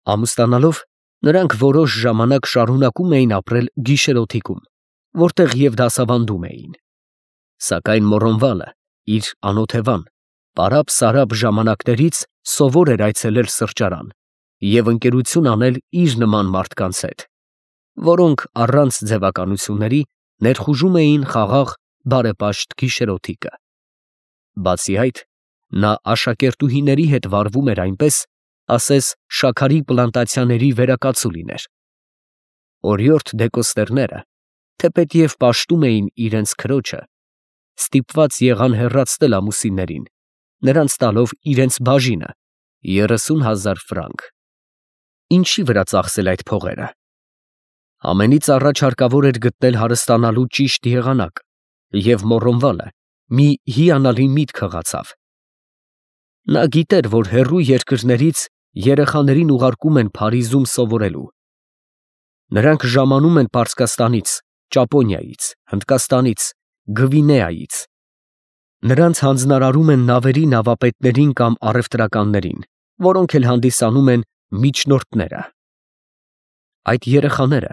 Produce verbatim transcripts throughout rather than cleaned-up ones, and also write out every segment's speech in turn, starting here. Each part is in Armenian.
Ամուսնանալով, նրանք որոշ ժամանակ շարունակում էին ապրել գիշերօթիկում, որտեղ և դասավանդում էին. սակայն Մոռոնվալը իր անօթևան, պարապ֊սարապ ժամանակներից սովոր էր այցելել սրճարան և ընկերություն անել իր նման մարդկանց հետ, որոնք առանց ձևականությունների ներխուժում էին խաղաղ, բարեպաշտ գիշերօթիկը։ Բացի այդ, նա աշակերտուհիների հետ վարվում էր այնպես, ասես շաքարի պլանտացիաների վերակացու լիներ։ Օրիորդ դեկոստերները, թեպետև պաշտում էին իրենց քրոջը, ստիպված եղան հեռացնել ամուսիններին, նրանց տալով իրենց բաժինը՝ երեսուն հազար ֆրանկ։ Ինչի վրա ծախսել այդ փողերը։ Ամենից առաջ հարկավոր էր գտնել հարստանալու ճիշտ եղանակ, և Մոռոնվալը մի հիանալի միտք հղացավ։ Նա գիտեր, որ հեռու երկրներից երեխաներին ուղարկում են Փարիզում սովորելու։ Նրանք ժամանում են Պարսկաստանից, Ճապոնիայից, Հնդկաստանից, Գվինեայից։ Նրանց հանձնարարում են նավերի նավապետներին կամ առևտրականներին, որոնք էլ հանդիսանում են միջնորդները։ Այդ երեխաները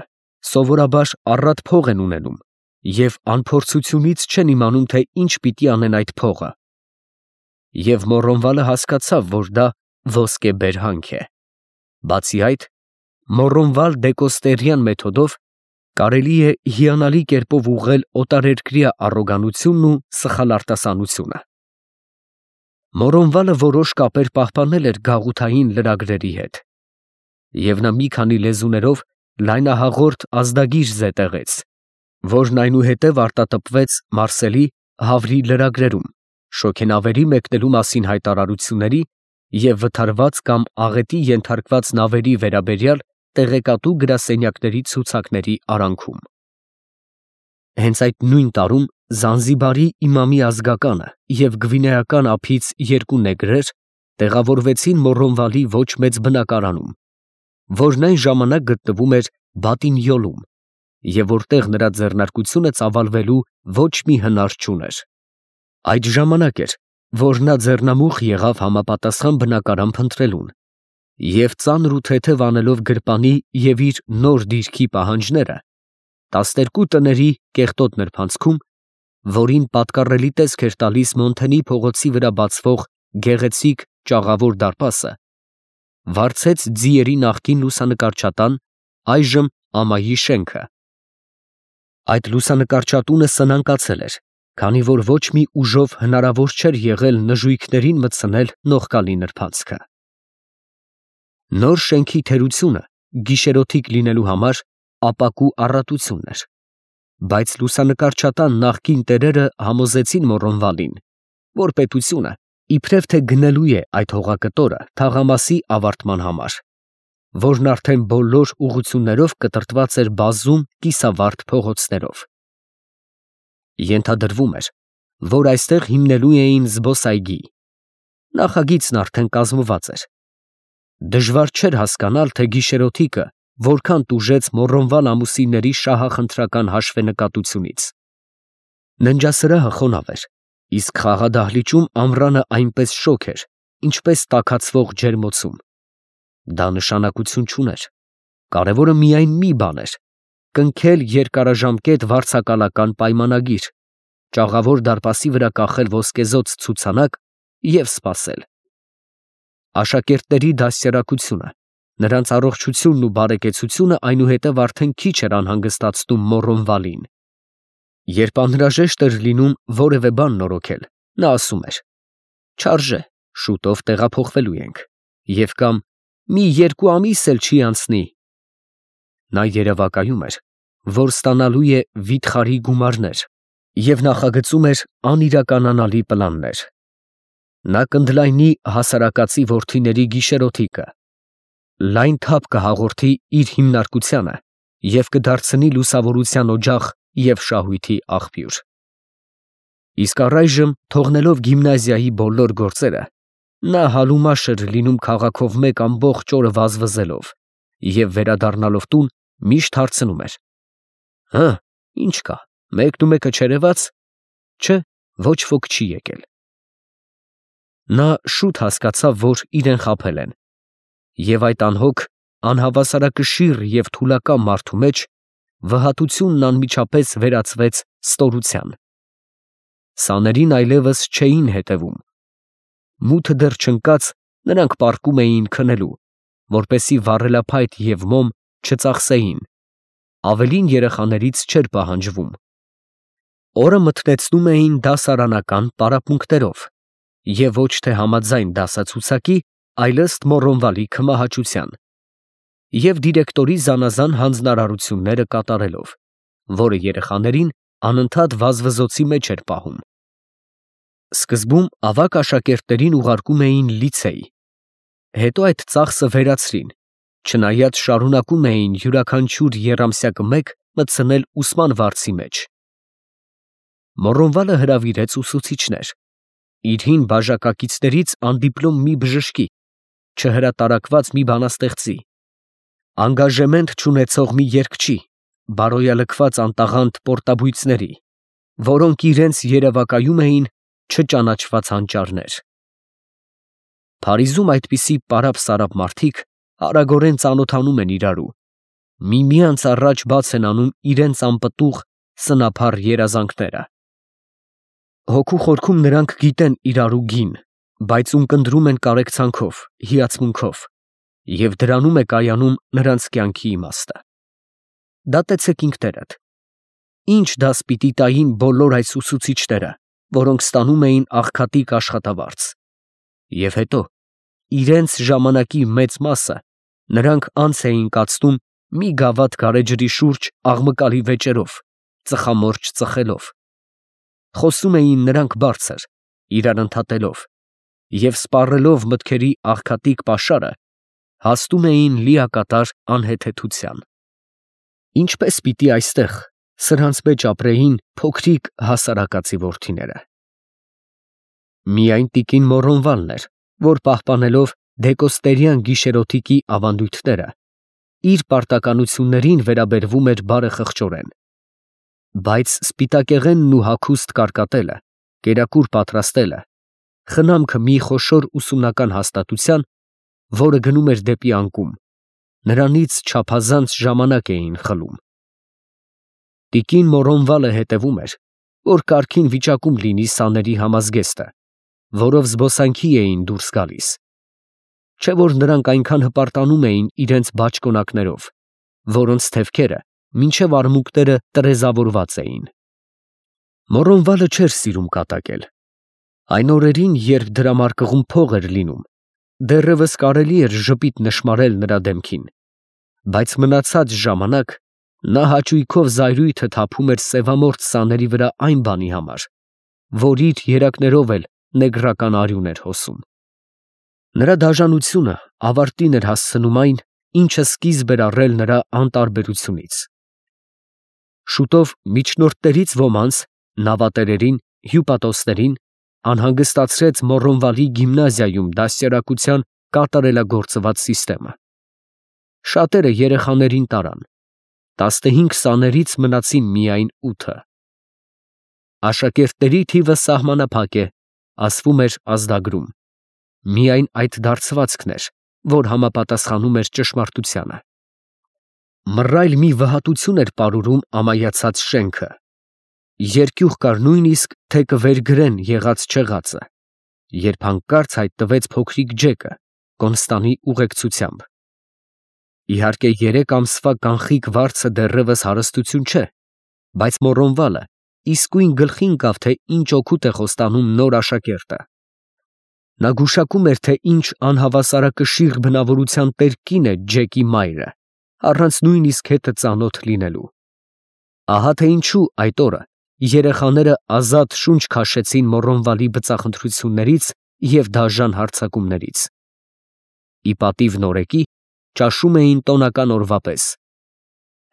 սովորաբար առատ փող են ունենում և անփորձությունից չեն իմանում, թե ինչ պիտի անեն այդ փողը։ Եվ Մոռոնվալը հասկացավ, որ դա ոսկեբերհանք է։ Բացի այդ, Մոռոնվալ դեկոստերյան մեթոդով կարելի է հիանալի կերպով ուղղել օտարերկրյա առոգանությունն ու սխալ արտասանությունը։ Մոռոնվալը որոշ կապեր պահպանել էր գաղութային լրագրերի հետ, և նա մի քանի լեզուներով լայնահաղորդ ազդագիր զետեղեց, որն այնուհետև արտատպվեց Մարսելի Հավրի լրագրերում, շոգենավերի մեկնելու մասին հայտարարությունների և վթարված կամ աղետի ենթարկված նավերի վերաբերյալ տեղեկատու գրասենյակների ցուցակների արանքում։ Հենց այդ նույն տարում Զանզիբարի իմամի ազգականը և գվինեական ափից երկու նեգրեր տեղավորվեցին Մոռոնվալի ոչ մեծ բնակարանում, որն այն ժամանակ գտնվում էր Բատինյոլում, և որտեղ նրա ձեռնարկությունը ծավալվելու ոչ մի հնար չուներ։ Այդ ժամանակ էր, որ նա ձեռնամուխ եղավ համապատասխան բնակարան փնտրելուն, և ծանր ու թեթև անելով գրպանի և իր նոր դիրքի պահանջները, տասներկու տների կեղտոտ նրբանցքում, որին պատկառելի տեսք էր տալիս Մոնթենի փողոցի վրա բացվող գեղեցիկ ճաղավոր դարպասը, վարձեց ձիերի նախկին լուսանկարչատան, այժմ ամայի շենքը։ Այդ լուսանկարչատունը սնանկացել էր, քանի որ ոչ մի ուժով հնարավոր չէր եղել նժույգներին մտցնել նողկալի նրբանցքը։ Նոր շենքի թերությունը գիշերօթիկ լինելու համար ապակու առատությունն էր, բայց լուսանկարչատան նախկին տերերը համոզեցին Մոռոնվալին, որ պետությունը իբրև թե գնելու է այդ հողակտորը թաղամասի ավարտման համար, որն արդեն բոլոր ուղղություններով կտրտված էր բազում կիսավարդ փողոցներով։ Ենթադրվում էր, որ այստեղ հիմնելու էին զբոսայգի։ Նախագիծն արդեն կազմված էր։ Դժվար չէր հասկանալ, թե գիշերօթիկը որքան տուժեց Մոռոնվալ ամուսինների շահախնդրական հաշվենկատությունից։ Ննջասրահը խոնավ էր, իսկ խաղադահլիճում ամռանը այնպես շոգ էր, ինչպես տաքացվող ջերմոցում։ Դա նշանակություն չուներ։ Կարևորը միայն մի բան էր՝ կնքել երկարաժամկետ վարձակալական պայմանագիր, ճաղավոր դարպասի վրա կախել ոսկեզօծ ցուցանակ և սպասել։ Աշակերտների դաստիարակությունը, նրանց առողջությունն ու բարեկեցությունը այնուհետև արդեն քիչ էր անհանգստացնում Մոռոնվալին։ Երբ անհրաժեշտ էր լինում որևէ բան նորոգել, նա ասում էր. «Չարժե, շուտով տեղափոխվելու ենք» և կամ «Մի երկու ամիս էլ չի անցնի»։ Նա երևակայում էր, որ ստանալու է վիթխարի գումարներ և նախագծում էր անիրականանալի պլաններ։ Նա կընդլայնի հասարակածի որդիների գիշերօթիկը, լայն թափ կհաղորդի իր հիմնարկությանը և կդարձնի լուսավորության օջախ և շահույթի աղբյուր։ Իսկ առայժմ, թողնելով գիմնազիայի բոլոր գործերը, նա հալումաշ էր լինում քաղաքով մեկ ամբողջ օրը վազվզելով և վերադառնալով տուն միշտ հարցնում էր. «Հը, ի՞նչ կա, մեկնումեկը չերևաց»։ Չէ, ոչ ոք չի եկել։ Նա շուտ հասկացավ, որ իրեն խաբել են, և այդ անհոգ անհավասարակշիռ և թուլակամ մարդու մեջ վհատությունն անմիջապես վերածվեց ստորության։ Սաներին այլևս չէին հետևում։ Մութը դեռ չընկած, նրանք պառկում էին քնելու, որպեսզի վառելափայտ և մոմ չծախսեին, ավելին երեխաներից չէր պահանջվում։ Օրը մթնեցնում էին դասարանական պարապմունքներով և ոչ թե համաձայն դասացուցակի, այլ ըստ Մոռոնվալի քմահաճության և դիրեկտորի զանազան հանձնարարությունները կատարելով, որը երեխաներին անընդհատ վազվզոցի մեջ էր պահում։ Սկզբում ավագ աշակերտներին ուղարկում էին լիցեյ, հետո այդ ծախսը վերացրին, չնայած շարունակում էին յուրաքանչյուր եռամսյակը մեկ մտցնել ուսման վարձի մեջ։ Մոռոնվալը հրավիրեց ուսուցիչներ, իր հին բաժակակիցներից անդիպլոմ մի բժշկի, չհրատարակված մի բանաստեղծի, անգաժեմենտ չունեցող մի երգչի, բարոյալքված անտաղանդ պորտաբույծների, որոնք իրենց երևակայում էին չճանաչված հանճարներ։ Փարիզում այդպիսի պարապ֊սարապ մարդիկ արագորեն ծանոթանում են իրարու, միմյանց առաջ բաց են անում իրենց անպտուղ սնափառ երազանքները։ Հոգու խորքում նրանք գիտեն իրարու գին, բայց ունկնդրում են կարեկցանքով, հիացմունքով, և դրանում է կայանում նրանց կյանքի իմաստը։ Դատեցեք ինքներդ. ի՞նչ դաս պիտի տային բոլոր այս ուսուցիչները, որոնք ստանում էին աղքատիկ աշխատավարձ, և հետո, իրենց ժամանակի մեծ մասը նրանք անց էին կացնում մի գավաթ գարեջրի շուրջ աղմկալի վեճերով, ծխամորճ ծխելով։ Խոսում էին նրանք բարձր, իրար ընդհատելով, և սպառելով մտքերի աղքատիկ պաշարը, հասնում էին լիակատար անհեթեթության։ Ինչպե՞ս պիտի այստեղ սրանց մեջ ապրեին փոքրիկ հասարակածի որդիները։ Միայն տիկին Մոռոնվալն էր, որ պահպանելով դեկոստերյան գիշերօթիկի ավանդույթները, իր պարտականություններին վերաբերվում էր բարեխղճորեն, բայց սպիտակեղենն ու հագուստ կարկատելը, կերակուր պատրաստելը, խնամքը մի խոշոր ուսումնական հաստատության, որը գնում էր դեպի անկում, նրանից չափազանց ժամանակ էին խլում։ Տիկին Մոռոնվալը հետևում էր, որ կարգին վիճակում լինի սաների համազգեստը, որով զբոսանքի էին դուրս գալիս, չէ՞ որ նրանք այնքան հպարտանում էին իրենց բաճկոնակներով, որոնց թևքերը մինչև արմունկները տրեզավորված էին։ Մոռոնվալը չէր սիրում կատակել։ Այն օրերին, երբ դրամարկղում փող էր լինում, դեռևս կարելի էր ժպիտ նշմարել նրա դեմքին, բայց մնացած ժամանակ նա հաճույքով զայրույթը թափում էր սևամորթ սաների վրա այն բանի համար, որ իր երակներով էլ նեգրական արյուն էր հոսում։ Նրա դաժանությունը ավարտին էր հասցնում այն, ինչը սկիզբ էր առել նրա անտարբերությունից։ Շուտով միջնորդներից ոմանց, նավատերերին, հյուպատոսներին անհանգստացրեց Մոռոնվալի գիմնազիայում դաստիարակության կատարելագործված սիստեմը։ Շատերը երեխաներին տարան, տասնհինգ սաներից մնացին միայն ութը։ Աշակերտների թիվը սահմանափակ է, ասվում էր ազդագրում, միայն այդ դարձվածքն էր, որ համապատասխանում էր ճշմարտությանը։ Մռայլ մի վհատություն էր պարուրում ամայացած շենքը, երկյուղ կար նույնիսկ, թե կվերգրեն եղած֊չեղածը, երբ հանկարծ հայտնվեց փոքրիկ Ջեկը Կոնստանի ուղեկցությամբ։ Իհարկե, երեք ամսվա կանխիկ վարձը դեռևս հարստություն չէ, բայց Մոռոնվալը իսկույն գլխի ընկավ, թե ինչ օգուտ է խոստանում նոր աշակերտը։ Նա գուշակում էր, թե ինչ անհավասարակշիռ բնավորության տեր կին է Ջեկի մայրը, առանց նույնիսկ հետը ծանոթ լինելու։ Ահա թե ինչու այդ օրը երեխաները ազատ շունչ քաշեցին Մոռոնվալի բծախնդրություններից և դաժան հարձակումներից։ Ի պատիվ նորեկի ճաշում էին տոնական օրվա պես։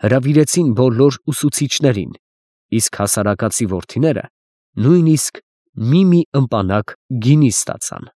Հրավիրեցին բոլոր ուսուցիչներին, իսկ հասարակածի որդիները նույնիսկ մի֊մի ըմպանակ գինի ստացան։